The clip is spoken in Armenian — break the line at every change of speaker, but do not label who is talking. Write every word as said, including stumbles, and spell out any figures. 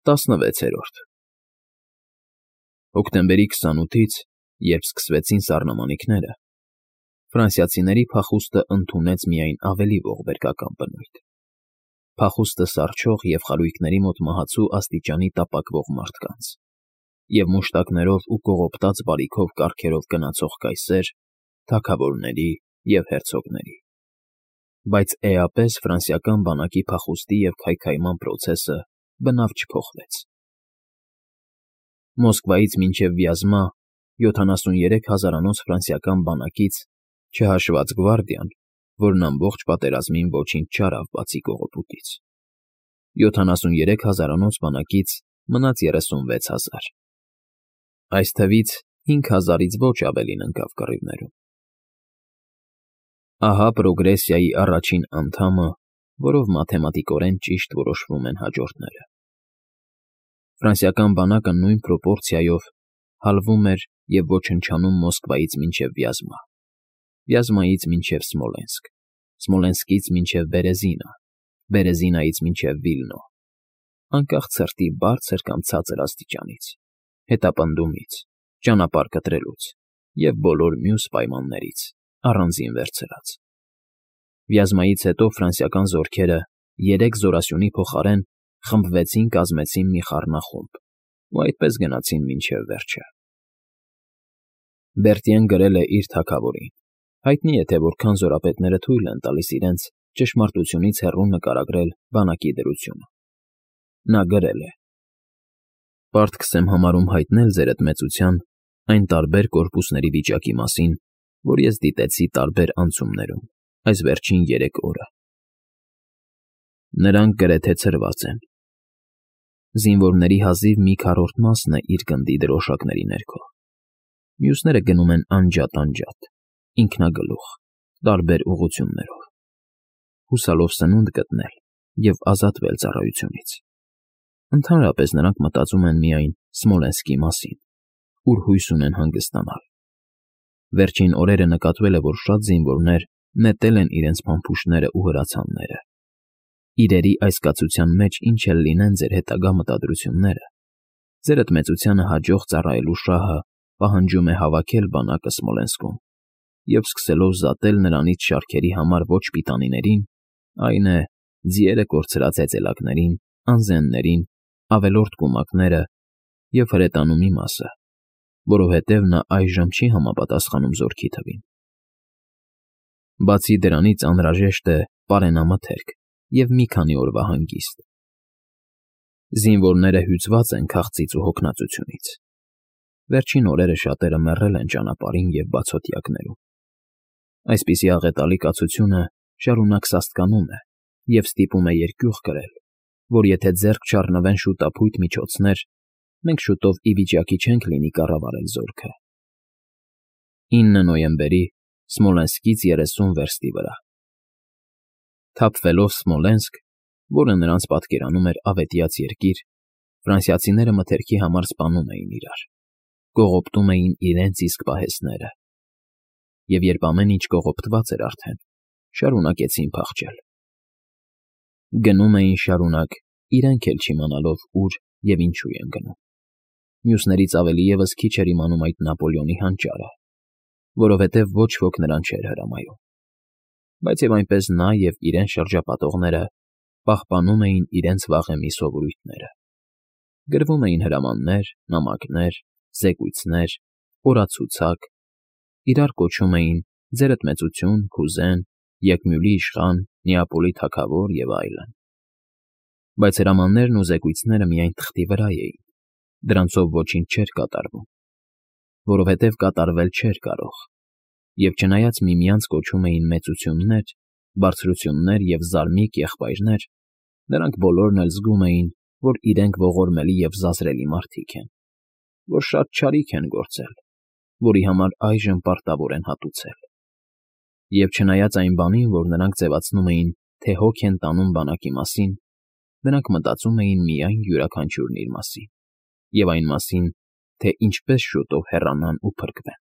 տասնվեցերորդ Հոկտեմբերի քսանութից, երբ սկսվեցին սառնամանիքները, ֆրանսիացիների փախուստը ընդունեց միայն ավելի ողբերգական բնույթ. փախուստը սառչող և խարույկների մոտ մահացու աստիճանի տապակվող մարդկանց, և մուշտակներով ու կողոպտած բարիքով կառքերով գնացող կայսեր, թագավորների և հերցոգների, բայց էապես ֆրանսիական բանակի փախուստի և քայքայման պրոցեսը բնավ չփոխվեց. Մոսկվայից մինչև Վյազմա յոթանասուներեք հազարանոց ֆրանսիական բանակից, չհաշված գվարդիան, որն ամբողջ պատերազմին ոչինչ չարավ բացի կողոպուտից, յոթանասուներեք հազարանոց բանակից մնաց երեսունվեց հազար. այս թվից հինգ հազարից ոչ ավելին ընկավ կռիվներում։ Ահա պրոգրեսիայի առաջին անդամը, որով մաթեմատիկորեն ճիշտ որոշվում են հաջորդները. Ֆրանսիական բանակը նույն պրոպորցիայով հալվում էր և ոչնչանում Մոսկվայից մինչև Վյազմա, Վյազմայից մինչև Սմոլենսկ, Սմոլենսկից մինչև Բերեզինա, Բերեզինայից մինչև Վիլնո, անկախ ցրտի բարձր կամ ցածր աստիճանից, հետապնդումից, ճանապարհ կտրելուց և բոլոր մյուս պայմաններից, առանձին վերցրած։ Վյազմայից հետո ֆրանսիական զորքերը երեք զորասյունի փոխարեն խմբվեցին, կազմեցին մի խառնախումբ ու այդպես գնացին մինչև վերջը։ Բերտիեն գրել է իր թագավորին, հայտնի է, թե որքան զորապետները թույլ են տալիս իրենց ճշմարտությունից հեռու նկարագրել բանակի դրությունը։ Նա գրել է. «Պարտքս եմ համարում հայտնել ձերդ մեծության այն տարբեր կորպուսների վիճակի մասին, որ ես դիտեցի տարբեր անցումներում այս վերջին երեք օրը։ Նրանք գրեթե ցրված են։ Զինվորների հազիվ մի քառորդ մասն է իր գնդի դրոշակների ներքո, մյուսները գնում են անջատ֊անջատ, ինքնագլուխ, տարբեր ուղղություններով, հուսալով սնունդ գտնել և ազատվել ծառայությունից։ Ընդհանրապես նրանք մտածում են միայն Սմոլենսկի մասին, ուր հույս ունեն հանգստանալ։ Վերջին օրերը նկատվել է, որ շատ զինվորներ նետել են իրենց փամփուշտներն ու հրացանները։ Իրերի այս կացության մեջ ինչ էլ լինեն ձեր հետագա մտադրությունները, ձերդ մեծությանը հաջող ծառայելու շահը պահանջում է հավաքել բանակը Սմոլենսկում և սկսելով զատել նրանից շարքերի համար ոչ պիտանիներին, այն է, ձիերը կորցրած հեծելակներին, անզեններին, ավելորդ կումակները և հրետանու մի մասը, որովհետև նա այժմ չի համապատասխանում զորքի թվին։ Բացի դրանից անհրաժեշտ է պարենամթերք և մի քանի օրվա հանգիստ։ Զինվորները հյուծված են քաղցից ու հոգնածությունից։ Վերջին օրերը շատերը մեռել են ճանապարհին և բացօթյակներում։ Այսպիսի աղետալի կացությունը շարունակ սաստկանում է և ստիպում է երկյուղ կրել, որ եթե ձեռք չառնվեն շուտափույթ միջոցներ, մենք շուտով ի վիճակի չենք լինի կառավարել զորքը։ ինը նոյեմբերի Սմոլենսկից երեսուն վերստի վրա։ Թափվելով Սմոլենսկ, որը նրանց պատկերանում էր ավետյաց երկիր, ֆրանսիացիները մթերքի համար սպանում էին իրար, կողոպտում էին իրենց իսկ պահեստները, և երբ ամեն ինչ կողոպտված էր արդեն, շարունակեցին փախչել։ Գնում էին շարունակ, իրենք էլ չիմանալով ուր և ինչու են գնում։ Մյուսներից ավելի ևս քիչ էր իմանում այդ Նապոլեոնի հանճարը, որովհետև ոչ ոք նրան չէր հրամայում, բայց և այնպես նա և իրեն շրջապատողները պահպանում էին իրենց վաղեմի սովորույթները, գրվում էին հրամաններ, նամակներ, զեկույցներ, օրացուցակ, իրար կոչում էին «Ձերդ մեծություն», «Քուզեն», «Եկմյուլի իշխան», «Նեապոլի թագավոր» և այլն։ Բայց հրամաններն ու զեկույցները միայն թղթի վրա էին, դրանցով ոչինչ չէր կատարվում, որովհետև կատարվել չէր կարող, և չնայած միմյանց կոչում էին մեծություններ, բարձրություններ և զարմիկ եղբայրներ, նրանք բոլորն էլ զգում էին, որ իրենք ողորմելի և զազրելի մարդիկ են, որ շատ չարիք են գործել, որի համար այժմ պարտավոր են հատուցել։ Եվ չնայած այն բանին, որ նրանք ձևացնում էին, թե հոգ են տանում բանակի մասին, նրանք մտածում էին միայն յուրաքանչյուրն իր մասին և այն մասին, թե ինչպես շուտով հեռանան ու փրկվեն։